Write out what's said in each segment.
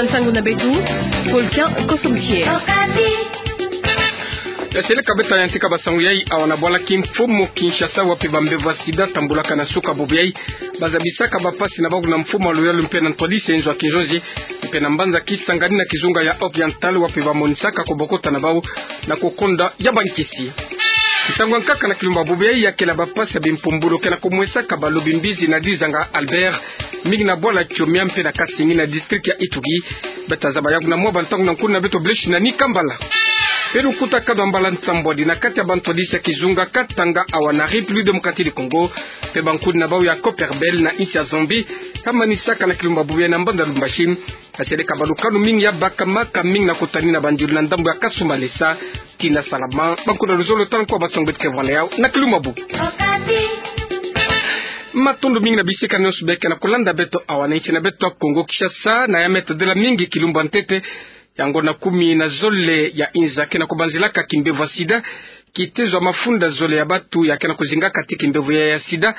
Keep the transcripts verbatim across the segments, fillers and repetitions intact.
Nsangu na beto, Volcan Kosomkier. Ya seleka beto ya ntika basangu yai awa na bwala kimfumu Kinshasa, wapi bambevo ya sida tambulaka na suka bubu yai, bazabisaka bapasi na bau na mfumu ya luyalu mpe na ntwadisi ya inzo ya kinzonzi, mpe na mbanza Kisangani na kizunga ya Oriental, wapi bamonisaka kobokota na bau na kokonda ya bankisi. Nsangu ya nkaka na kilumbu bubu yai ya kela bapasi ya bimpumbulu ke na komwesaka balobi mbizi na Dizanga Albert, mingi na bwala Kiomia mpe na Kasingi na district ya Ituri. Beta zaba yaku na mwa bantangu na nkuni na beto Blaise Nani Kambala. Mpe lukutakanu ya mbala nsambwadi na kati ya bantwadisi ya kizunga Katanga awa na République Démocratique du Congo, mpe bankuni na bau ya Copperbelt na insi ya Zambie, kamanisaka na kilumbu bubu yai na mbanza Lubumbashi, ya seleka balukanu mingi ya bakamaka mingi na kutani na bandilu na ndambu ya Kasumbalesa tii na Salaman. Bankuni na luzolo tala nkwa basangu beto ke vwanda yau na kilumbu bubu. Matondo mingi na bisika nyonso beke na kulanda beto awa na insi na beto ya Kongo Kinshasa, na ya metadila mingi kilumbu ya ntete, ya ngonda kumi na zole ya inza ke na kubanzilaka kimbevo ya sida, kitezo ya mafunda zole ya batu ya ke na kuzingaka ti kimbevo ya, ya sida,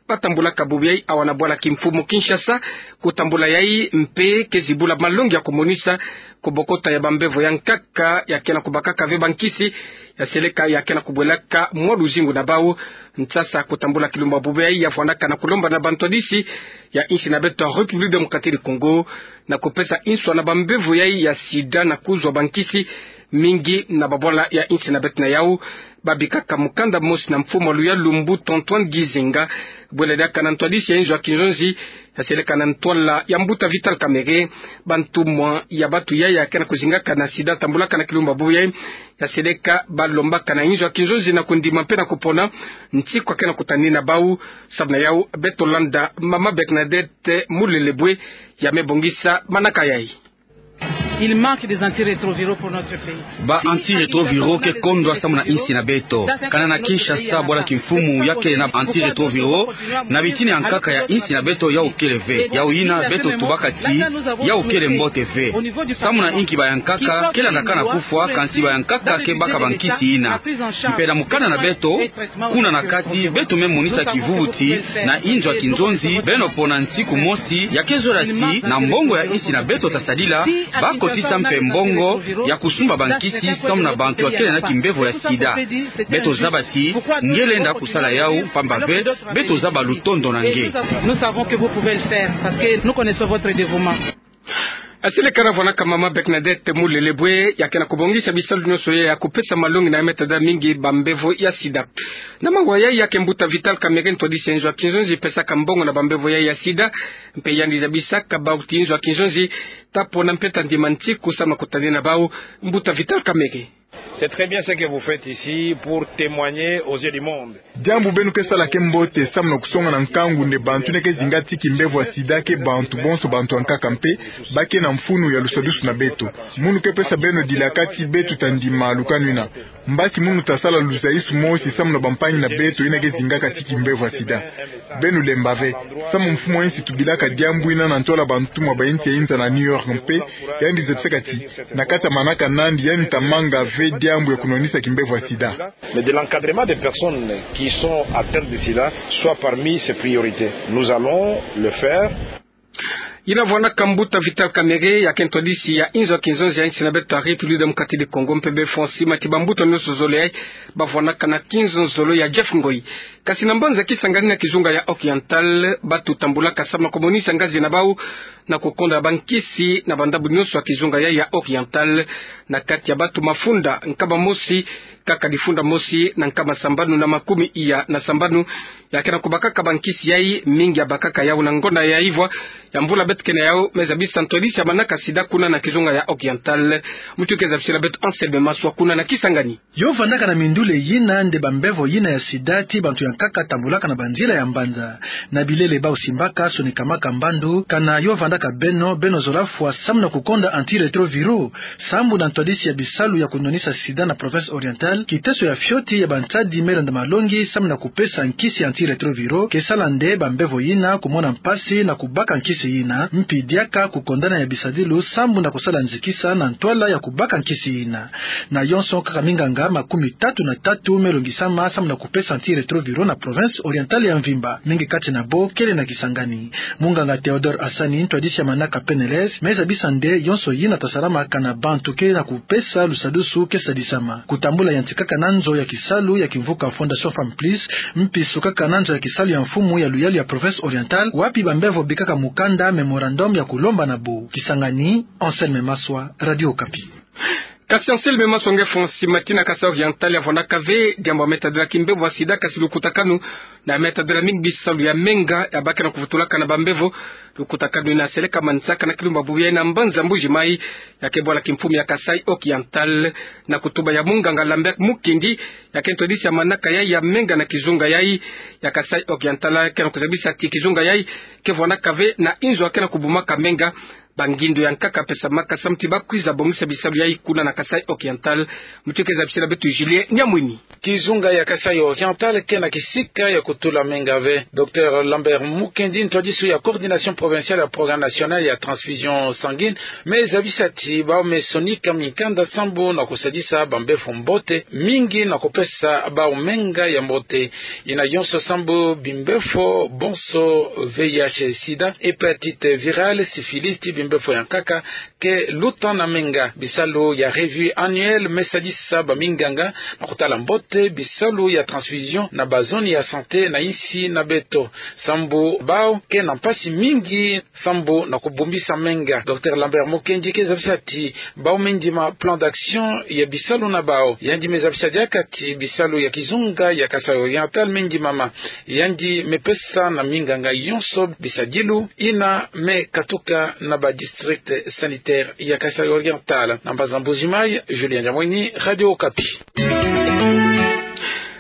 batambulaka bubu yai awa na bwala kimfumu Kinshasa. Kutambula yai mpe ke zibula malongi ya kumonisa kobokota ya bambevo ya nkaka ya ke na kubakaka ve bankisi, ya seleka ya ke na kubwelaka mwa luzingu na bau. Nsasa kutambula kilumbu bubu yai ya vwandaka na kulomba na bantwadisi ya insi na beto ya République Démocratique du Congo na kupesa nswa na bambevo yai ya sida na kuzwa bankisi. Mingi na babwala ya insi na beto na yau babikaka mukanda mosi na mfumu ya luyalu Mbuta Antoine Gizenga, bwela diaka na ntwadisi ya inzo ya kinzonzi, ya seleka na ntwala ya Mbuta Vital Kamerhe. Bantumwa ya batu yai ya ke na kuzingaka na sida tambulaka na kilumbu bubu yai, ya seleka balombaka na inzo ya kinzonzi na kundima mpe na kupona nsiku ya ke na kutani na bau. Samu na yau beto landa Mama Bernadette Mulelebwe, ya me bongisa manaka yai. Il manque des antirétroviraux pour notre pays. Ba antirétroviraux ke kondwa samu na insi na beto. Kana na Kinshasa bwala kimfumu ya kele na antirétroviraux, na bitini ya nkaka ya insi na beto yau kele ve. Yau yina beto tubaka ti yau kele mbote ve. Samu na inki bayankaka ke landaka na kufwa, kansi bayankaka ke baka bankisi yina. Mpe na mukanda na beto, kuna na kati, beto me monisa kivuvu ti na inzo ya kinzonzi, beno pona nsiku mosi, ya ke zola ti na mbongo ya insi na beto tasadila, bakotisa mpe mbongo ya kusumba bankisi samu na bantu ya kele na kimbevo ya sida. Beto zaba ti nge lenda kusala yau, pamba ve beto zaba lutondo na nge. Nous savons que vous pouvez le faire parce que nous connaissons votre dévouement. Ya seleka na vwandaka Mama Bernadette Mulelebwe, ya ke na kubongisa bisalu nyonso yai ya kupesa malongi na ya metadila mingi bambevo ya sida. Na mawa yai ya ke Mbuta Vital Kamerhe, ntwadisi ya inzo ya kinzonzi, pesaka mbongo na bambevo yai ya sida, mpe yandi zabisaka bau ti inzo ya kinzonzi ta pona mpe ta ndima nsiku samu na kutani na bau. Mbuta Vital Kamerhe. C'est très bien ce que vous faites ici pour témoigner aux yeux du monde. Diambu beno ke sala ke mbote samu na kusonga na nkangu nde bantu yina ke zinga ti kimbevo ya sida ke bantu bonso, bantu ya nkaka mpe ba ke na mfunu ya lusadusu na beto. Munu ke pesa beno dilaka ti beto ta ndima lukanu yina. Mbasi munu ta sala luzaisu mosi samu na bampangi na beto yina ke zingaka ti kimbevo ya sida. Beno lemba ve, samu mfumu ya insi tubilaka diambu yina na ntwala bantumwa ba insi ya inza na New York mpe, yandi zabisaka ti na kati ya manaka nandi yandi ta manga ve diambu ya kunwanisa kimbevo ya sida. Mais de l'encadrement des personnes qui sont atteintes de sida soit parmi ses priorités. Nous allons le faire. Yina vwandaka Mbuta Vital Kamerhe, ya ke ntwadisi ya inzo ya kinzonzi ya insi na beto ya République Démocratique du Congo, mpe befwa nsima ti bambuta nyonso zole yai bavwandaka na kinzonzolo ya Jeff Ngoyi. Kasi na mbanza Kisangani na kizunga ya Oriental, batu tambulaka samu na kumonisa ngazi na bau na kukonda bankisi na bandambu nyonso ya kizunga yai ya Oriental. Na kati ya batu mafunda nkama mosi, kaka difunda mosi na nkama sambanu na makumi iya na sambanu ya ke na kubakaka bankisi yai, mingi ya bakaka yau na ngonda ya ivwa ya mvula beto ke na yau. Me zabisa ntwadisi ya manaka sida kuna na kizunga ya Oriental, muntu ke zabisila beto Anselme Maswa kuna na Kisangani. Yo vandaka na mindule yina nde bambevo yina ya sida ti bantu ya nkaka tambulaka na banzila ya mbanza. Na bilele bau simbaka, sonikamaka mbandu, kana yo vandaka beno, beno zola fwa samu na kukonda antirétroviraux. Sambu na ntwadisi ya bisalu ya kunwanisa sida na province Oriental, kiteso ya fioti ya bansadi me landa malongi samu na kupesa nkisi antirétroviraux ke sala nde bambevo yina kumona mpasi na kubaka nkisi yina. mpi diaka kukondana ya bisadilu sambu na kusala nzikisa na ntwala ya kubaka nkisi ina. Na yonso kaka minganga makumi tatu na tatu me longisama sambu na kupesa antirétroviraux na province orientale ya mvimba. Mingi kati na bo kele na Kisangani. Munganga Théodore Hassani, ntwadisi ya manaka P N L S, me zabisa nde yonso yina ta salamaka na bantu ke na kupesa lusadusu ke sadisama. Kutambula yantikaka na nzo ya kisalu ya kimvuka Fondation Femmes Plus, mpi sukaka na nzo ya kisalu ya mfumu ya luyalu ya province orientale, wapi bambevo bikaka mukanda mémorandum ya kulomba na bo. Kisangani, Anselme Maswa, Radio Okapi. Kasi Anselme Maswa nge fo nsi ma tina Kasai Oriental ya vwandaka ve diambu ya metadila kimbevo ya sida, kasi lukutakanu na metadila mingi bisalu ya menga ya ba ke na kuvutulaka na bambevo. Lukutakanu ina seleka manisaka na kilumbu ya bubu yayi na mbanza Mbuji-Mayi, ya ke bwala kimfumu ya Kasai Oriental, na kutuba ya munganga Lambert Mukendi, ya ke ntwadisi ya manaka yayi ya menga na kizunga yayi ya Kasai Oriental, ke na kuzabisa ti kizunga yayi ke vwandaka ve na inzo ya ke na kubumaka menga. Bangindo ya nkaka pesamaka samu ti ba kwiza bongisa bisalu yayi kuna na Kasai Oriental. Mutu ke zabisila beto Julien Nyamwini. Kizunga ya Kasai Oriental ke na kisika ya kutula menga ve. Docteur Lambert Mukendi, ntwadisi ya Coordination Provinciale ya Programme National ya Transfusion Sanguine, me zabisa ti bau me sonika mikanda sambu na kusadisa bambevo mbote mingi na kupesa bau menga ya mbote. Ina yonso sambu bimbevo bonso V I H, sida, hépatite virale, syphilis, ti bimbevo ya nkaka ke luta na menga. Bisalu ya revue annuelle me sadisa baminganga na kutala mbote bisalu ya transfusion na bazone ya santé na insi na beto, sambu bau ke na mpasi mingi sambu na kubumbisa menga. Docteur Lambert Mukendi ke zabisa ti bau me ndima plan d'action ya bisalu na bau. Yandi me zabisa diaka ti bisalu ya kizunga ya Kasai Oriental me ndimama. Yandi me pesa na minganga yonso bisadilu ina me katuka na ba district sanitaire ya Kasai Oriental. Na mbanza Mbuji-Mayi, Julien Nyamwini, Radio Okapi.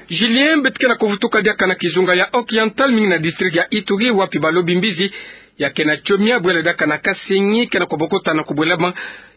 Julien, beto ke na kuvutuka diaka na kizunga ya Oriental, mingi na district ya Ituri, wapi balobi mbizi ya ke na Tchomia, bwela diaka na Kasenyi, ke na kubokota na kubwelama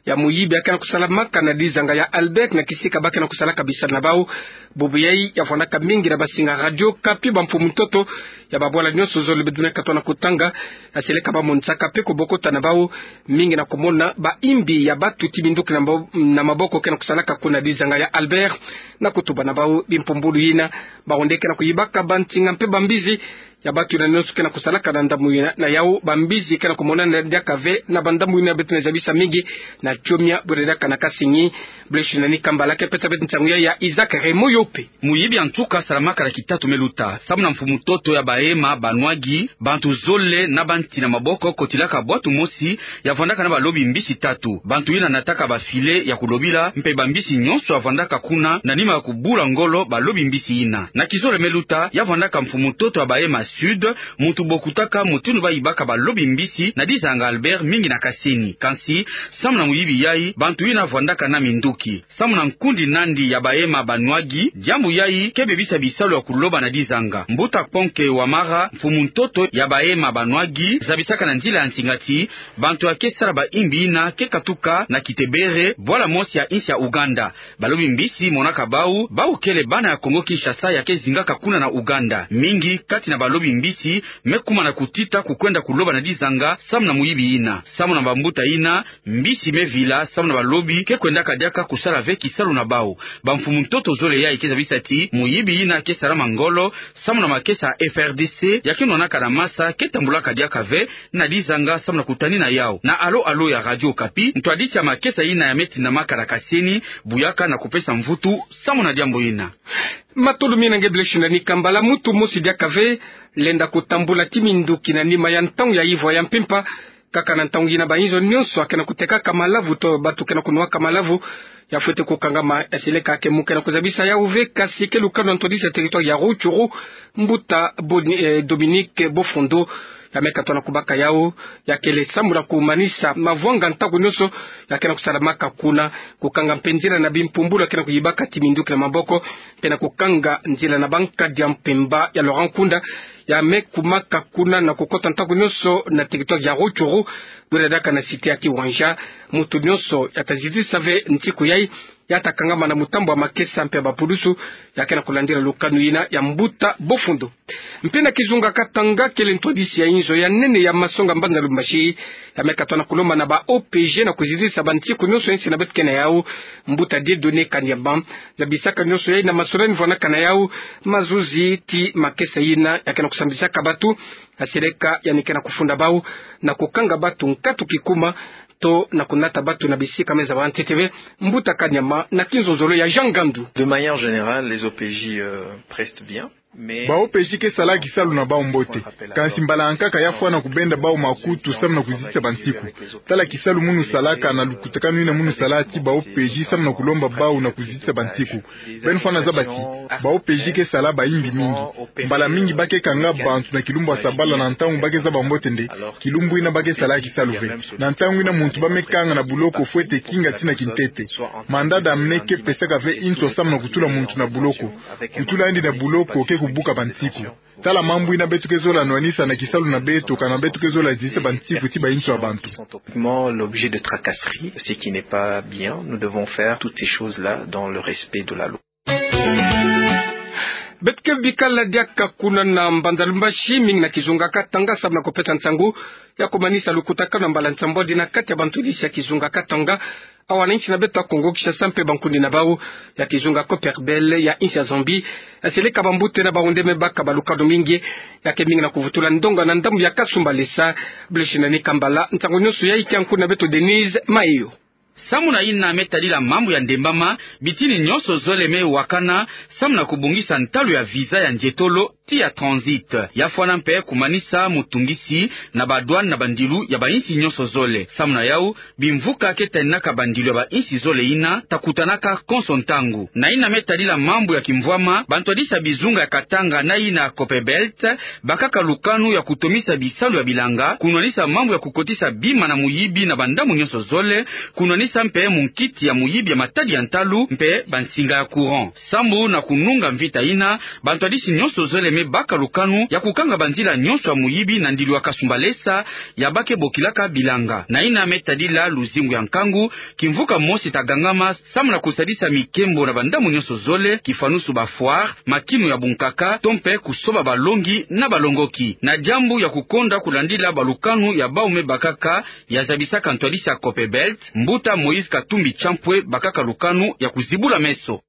ya muyibi ya ke na kusalamaka na dizanga ya Albert na kisika ba ke na kusalaka bisalu na bau. Bubu yayi ya vwandaka mingi na basinga Radio Okapi. Bamfumu ntoto ya babwala nyonso zole beto ke na katwa na kutanga, ya seleka ba monisaka mpe kubokota na bau, mingi na kumona ba imbi ya batu ti minduki na mabo-, na maboko ke na kusalaka kuna dizanga ya Albert, na kutuba na bau bimpumbulu yina. Bau nde ke na kuyibaka bantinga mpe bambizi ya batu yina nyonso ke na kusalaka na ndambu yina. Na yau, bambizi ke na kumonana diaka ve na bandambu yina beto ke na zabisa mingi na Tchomia, bwela diaka na Kasenyi. Blaise Nani Kambala ke pesa beto nsangu yayi ya Isaac Raymond Yope. Muyibi ya nsuka salamaka na kitatu me luta. Samu na mfumu ntoto ya bahema ba Nwagi, bantu zole na banti na maboko kotilaka bwatu mosi ya vwandaka na balobi mbisi tatu. Bantu yina nataka ba filet ya kulobila, mpe bambisi nyonso ya vwandaka kuna, na nima ya kubula ngolo balobi mbisi yina. Na kizole me luta, ya vwandaka mfumu ntoto ya bahema Sud, muntu bokutaka mutindu bayibaka balobi mbisi na dizanga Albert, mingi na Kasenyi. Kansi, samu na muyibi yayi, bantu yina vwandaka na minduki. Samu na nkundi nandi ya bahema ba Nwagi, diambu yayi ke bebisa bisalu ya kuloba na dizanga. Mbuta Kponke Wamara, mfumu ntoto ya bahema ba Nwagi, zabisaka na nzila ya nsinga ti bantu ya ke sala ba imbi yina ke katuka na Kitebere, bwala mosi ya insi ya Ouganda. Balobi mbisi monaka bau, bau kele bana ya Congo-Kinshasa ya ke zingaka kuna na Ouganda. Mingi kati na balobi mbisi me kuma na kutita kukwenda kuloba na dizanga samu na muyibi yina. Samu na bambuta yina, mbisi me vila samu na balobi ke kwendaka diaka kusala ve kisalu na bau. Bamfumu ntoto zole yayi ke zabisa ti muyibi yina ke salama ngolo samu na makesa ya F R D C ya ke nwanaka na masa ke tambulaka diaka ve na dizanga samu na kutanina yau. Na alo alo ya Radio Okapi, ntwadisi ya makesa yina ya me tindamaka na Kasenyi, buyaka na kupesa mvutu samu na diambu yina. Matolo mina nge Blaise Nani Kambala. Mutu mosi diaka ve lenda kutambula ti minduki na nima ya ntangu ya ivwa ya mpimpa. Kaka na ntangu yina, bainzo nyonso ya ke na kutekaka malavu to batu ke na kunwaka malavu ya fwete kukangama. Ya seleka ke mu ke na kuzabisa yau ve, kasi ke lukanu ya ntwadisi ya territoire ya Rutshuru, mbuta Boni-, eh, Dominique Bofondo, ya me katwa na kubaka yau. Ya kele samu na kumanisa mavwanga ntaku nyonso ya ke na kusalamaka kuna, kukanga mpe nzila na bimpumbulu ya ke na kuyibaka ti minduki na maboko, mpe na kukanga nzila na bankadi ya mpemba ya Laurent Nkunda, ya me kumaka kuna na kukota ntaku nyonso na territoire ya Rutshuru, bwela diaka na cité ya Kiwanja. Mutu nyonso ya ta zitisa ve ntiku yayi, ya ta kangama na mutambu ya makesa mpe ya bapulusu, ya ke na kulandila lukanu yina ya mbuta Bofundo. Mpe na kizunga Katanga, kele ntwadisi ya inzo ya nene ya masonga mbanza Lubumbashi, ya me katoa na kulomba na ba O P G na kuzizisa bantiku nyonso ya insi na beto ke na yau, mbuta Dieudonné Kanyama zabisaka nyonso yayi na masolani vwanakana yau mazuzi ti makesa yina ya ke na kusambisaka batu, ya seleka ya me ke na kufunda bau na kukanga batu nkatu kikuma, to na kunata batu na bisika me zaba ntete ve. Mbuta Kanyama na kinzonzolo ya Jean Ngandu. De manière générale, les O P J, euh, prestent bien. Ba O P J ke sala kisalu na bau mbote. Kansi mbala ya nkaka ya fwana kubenda bau makutu samu na kuzitisa bantiku. Tala kisalu munu salaka na lukutakanu yina munu sala ti ba O P J samu na kulomba bau na kuzitisa bantiku. Beno fwana zaba ti ba O P J ke sala bayimbi mingi. Mbala mingi ba ke kanga bantu na kilumbu ya sabala na ntangu ba ke zaba mbote nde kilumbu yina ba ke sala kisalu ve. Na ntangu yina muntu ba me kanga na buloko fwete kinga tina kintete. Mandanda ya mene ke pesaka ve inswa samu na kutula muntu na buloko. Kutula yandi na buloko ke kubuka bantiku. Tala mambu yina beto ke zola nwanisa na kisalu na beto, kana beto ke zola zitisa bantiku ti ba inswa ya bantu. Sont typiquement l'objet de tracasserie, ce qui n'est pas bien. Nous devons faire toutes ces choses-là dans le respect de la loi. Beto ke bika la diaka kuna na mbanza Lubumbashi, mingi na kizunga Katanga, samu na kupesa nsangu ya kumanisa lukutakanu ya mbala nsambwadi na kati ya bantwadisi ya kizunga Katanga, awa na insi na beto ya Kongo Kinshasa mpe bankundi na bau ya kizunga Copperbelt ya insi ya Zambie, ya seleka bambuta na bahunde me baka balukanu mingi, ya ke mingi na kuvutula ndonga na ndambu ya Kasumbalesa. Blechina ni kambala nsangu nyonso yayi kia nkundi na beto Denise Mayo. Samu na yina me tadila mambu ya ndembama, bitini nyonso zole me wakana samu na kubongisa ntalu ya visa ya nzietolo ti ya transit. Ya fwana mpe kumanisa mutungisi na ba douane na bandilu ya ba insi nyonso zole. Samu na yau, bimvuka ke taninaka bandilu ya ba insi zole yina ta kutanaka konso ntangu. Na yina me tadila mambu ya kimvwama, bantwadisi ya bizunga ya Katanga na yina ya Copperbelt bakaka lukanu ya kutomisa bisalu ya bilanga, kunwanisa mambu ya kukotisa bima na muyibi na bandambu nyonso zole, kunwanisa mpe munkiti ya muyibi ya matadi ya ntalu mpe bansinga ya courant. Sambu na kununga mvita yina, bantwadisi nyonso zole me baka lukanu ya kukanga banzila nyonso ya muyibi na ndilu ya Kasumbalesa ya ba ke bokilaka bilanga. Na yina me tadila luzingu ya nkangu, kimvuka mosi ta gangama samu na kusadisa mikembo na bandambu nyonso zole, kifanusu ba foire, makinu ya bunkaka, to mpe kusoba balongi na balongoki. Na diambu ya kukonda kulandila balukanu ya bau me bakaka, ya zabisaka ntwadisi ya Copperbelt, mbuta Moïse Katumbi Champwe, bakaka lukanu ya kuzibula meso.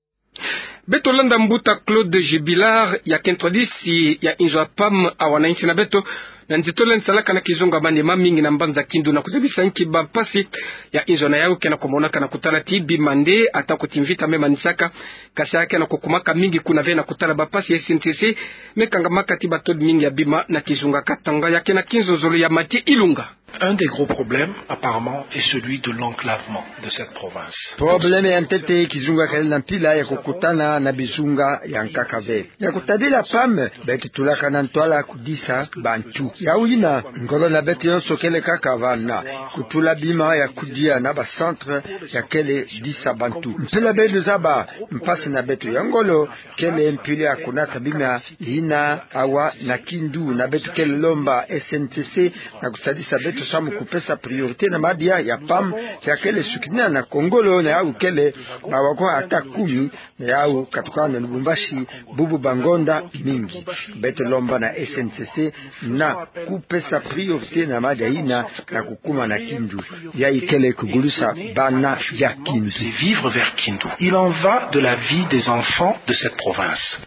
Beto landa mbuta Claude Jubilar, ya ke ntwadisi ya inzo ya PAM awa na insi na beto, na nzietolo yandi salaka na kizunga Maniema, mingi na mbanza Kindu, na kuzabisa nki bampasi ya inzo na yau ke na kumonaka na kutala ti bima nde ata ko ti mvita me manisaka, kasi ya ke na kukumaka mingi kuna ve na kutala bampasi ya S N C C me kangamaka ti batodi mingi ya bima na kizunga Katanga. Ya ke na kinzonzolo ya Mathieu Ilunga. Un des gros problèmes, apparemment, est celui de l'enclavement de cette province. Problème ya ntete, kizunga kele na mpila ya kukutana na bizunga ya nkaka ve. Ya kutadila PAM, beto tulaka na ntwala kudisa bantu. Yau yina, ngolo na beto yonso kele kaka vana, kutula bima ya kudia na ba centre ya kele disa bantu. Mpila beno zaba, mpasi na beto ya ngolo kele mpila ya kunata bima yina awa na Kindu, na beto kele lomba S N C C na kusadisa beto samu kupesa priorité na madia ya PAM, ya kele sukinina na kongolo, na yau kele bawa ko ata kumi, na yau katukana na Lubumbashi bubu ba ngonda mingi. Beto lomba na S N C C na kupesa priorité na madia yina na kukuma na Kindu. Yayi kele kugulusa bana ya Kindu. C'est vivre vers Kindu. Il en va de la vie des enfants de cette province.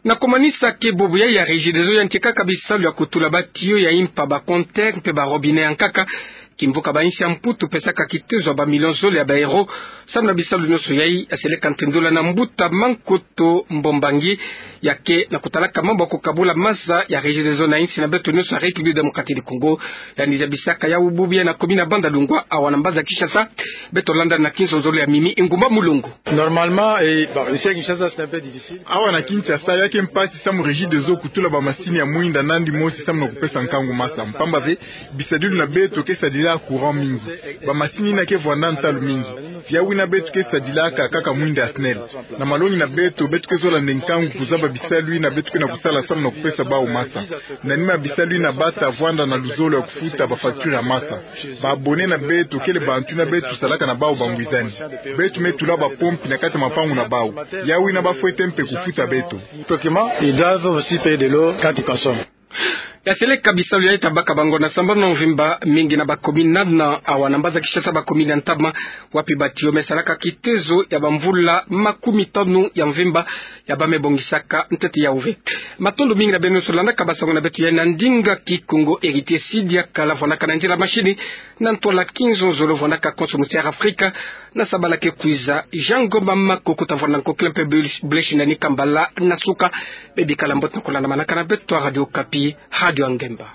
Na kumanisa ke bubu yayi ya Regideso yantikaka bisalu ya kutula ba tuyau ya impa, ba compteur mpe ba robinet ya nkaka. Kimvuka ba insi ya Mputu pesaka kitezo ya ba millions zole ya ba euros samu na bisalu nyonso yayi, ya seleka ntendula na mbuta Mankoto Mbombangi, ya ke na kutalaka mambu ya kukabula maza ya Regideso na insi na beto nyonso ya République Démocratique du Congo. Yandi zabisaka yau bubu yayi na commune ya Bandalungwa, awa na mbanza Kinshasa. Beto landa na kinzonzolo ya Mimi Ngumba Mulongo. Normalement, eh, bon, ici à Kinshasa, c'est un peu difficile. Awa na Kinshasa, ya ke mpasi samu Regideso kutula ba masini ya mwinda nandi mosi samu na kupesa nkangu masa. Mpamba ve, bisadilu na beto ke sadila courant mingi. Bamasini yina ke vwanda ntalu mingi. Yawu yina beto ke sadilaka kaka mwinda SNEL. Na malongi na beto, beto ke zola nde nkangu kuzaba bisalu yina beto ke na kusala samu na kupesa bawu masa. Na nima ya bisalu yina bata vwanda na luzolo ya kufuta bafacture ya masa. Ba abonnés na beto kele bantu yina beto salaka na bawu bangwizani. Beto me tula bapompi na kati ya mapangu na bawu. Yawu yina bafwete mpe kufuta beto. Effectivement, ils doivent aussi payer de l'eau quand ils consomment. Ya seleka bisalu ya ita baka bango na sambanu na mvimba mingi na bacommune nana, awa na mbanza Kinshasa, bacommune ya ntama, wapi batiyo me salaka kitezo ya bamvula makumi tanu ya mvimba ya ba me bongisaka ntete ya uve. Matondo mingi na beno nyonso landaka basango na beto ya na ndinga Kikongo. Héritier Sidi Akala vwandaka na nzila machine, na ntwala Kinzonzolo vwandaka konso musi Air Afrika, na sabala ke kwiza Jean Ngoma Makoko ta vwanda nkokila mpe Blaise Nani Kambala na suka. Bebikala mbote na kulandamanaka na beto, Radio Okapi, radio ya ngemba.